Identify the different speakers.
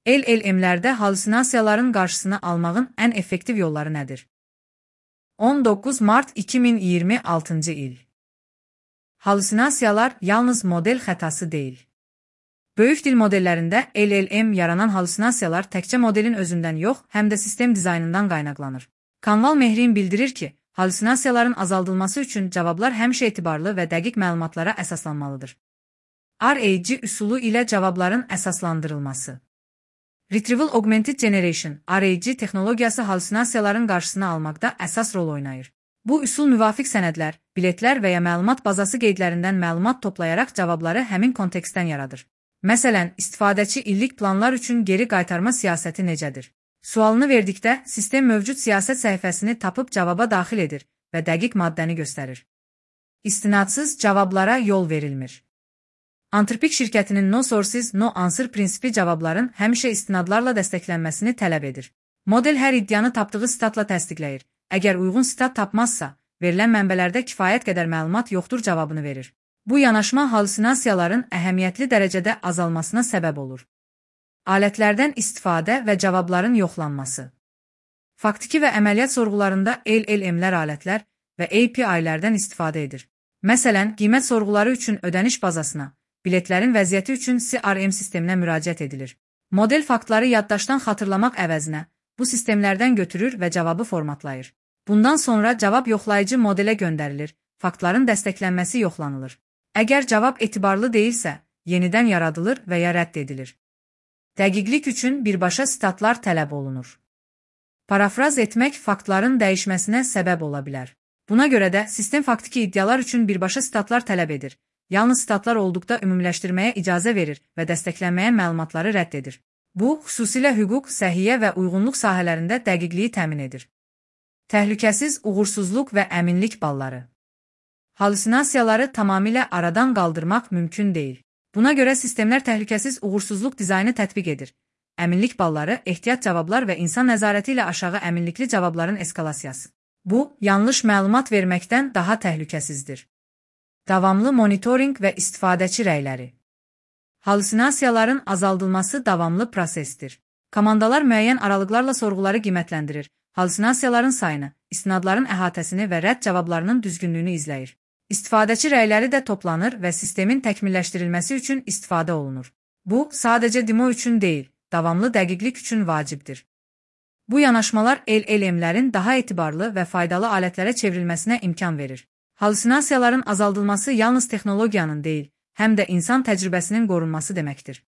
Speaker 1: LLM-lərdə halüsinasiyaların qarşısını almağın ən effektiv yolları nədir? 19 mart 2026-cı il. Halüsinasiyalar yalnız model xətası deyil. Böyük dil modellərində LLM yaranan halüsinasiyalar təkcə modelin özündən yox, həm də sistem dizaynından qaynaqlanır. Kanval Mehrin bildirir ki, halüsinasiyaların azaldılması üçün cavablar həmişə etibarlı və dəqiq məlumatlara əsaslanmalıdır. RAG üsulu ilə cavabların əsaslandırılması. Retrieval Augmented Generation (RAG) texnologiyası halüsinasiyaların qarşısını almaqda əsas rol oynayır. Bu üsul müvafiq sənədlər, biletlər və ya məlumat bazası qeydlərindən məlumat toplayaraq cavabları həmin kontekstdən yaradır. Məsələn, istifadəçi illik planlar üçün geri qaytarma siyasəti necədir? Sualını verdikdə, sistem mövcud siyasət səhifəsini tapıb cavaba daxil edir və dəqiq maddəni göstərir. İstinadsız cavablara yol verilmir. Anthropic şirkətinin No Sources, No Answer prinsipi cavabların həmişə istinadlarla dəstəklənməsini tələb edir. Model hər iddianı tapdığı sitatla təsdiqləyir. Əgər uyğun sitat tapmazsa, verilən mənbələrdə kifayət qədər məlumat yoxdur cavabını verir. Bu yanaşma halüsinasiyaların əhəmiyyətli dərəcədə azalmasına səbəb olur. Alətlərdən istifadə və cavabların yoxlanması. Faktiki və əməliyyat sorğularında LLM-lər alətlər və API-lərdən istifadə edir. Məsələn, qiymət sorğuları üçün ödəniş bazasına, biletlərin vəziyyəti üçün CRM sisteminə müraciət edilir. Model faktları yaddaşdan xatırlamaq əvəzinə bu sistemlərdən götürür və cavabı formatlayır. Bundan sonra cavab yoxlayıcı modelə göndərilir, faktların dəstəklənməsi yoxlanılır. Əgər cavab etibarlı deyilsə, yenidən yaradılır və ya rədd edilir. Dəqiqlik üçün birbaşa sitatlar tələb olunur. Parafraz etmək faktların dəyişməsinə səbəb ola bilər. Buna görə də sistem faktiki iddialar üçün birbaşa sitatlar tələb edir. Yalnız sitatlar olduqda ümumiləşdirməyə icazə verir və dəstəklənməyən məlumatları rədd edir. Bu, xüsusilə hüquq, səhiyyə və uyğunluq sahələrində dəqiqliyi təmin edir. Təhlükəsiz uğursuzluq və əminlik balları. Halüsinasiyaları tamamilə aradan qaldırmaq mümkün deyil. Buna görə sistemlər təhlükəsiz uğursuzluq dizaynı tətbiq edir. Əminlik balları, ehtiyat cavablar və insan nəzarəti ilə aşağı əminlikli cavabların eskalasiyası. Bu, yanlış məlumat verməkdən daha təhlükəsizdir. Davamlı monitorinq və istifadəçi rəyləri. Halüsinasiyaların azaldılması davamlı prosesdir. Komandalar müəyyən aralıqlarla sorğuları qiymətləndirir, halüsinasiyaların sayını, istinadların əhatəsini və rədd cavablarının düzgünlüyünü izləyir. İstifadəçi rəyləri də toplanır və sistemin təkmilləşdirilməsi üçün istifadə olunur. Bu, sadəcə demo üçün deyil, davamlı dəqiqlik üçün vacibdir. Bu yanaşmalar LLM-lərin daha etibarlı və faydalı alətlərə çevrilməsinə imkan verir. Halüsinasiyaların azaldılması yalnız texnologiyanın deyil, həm də insan təcrübəsinin qorunması deməkdir.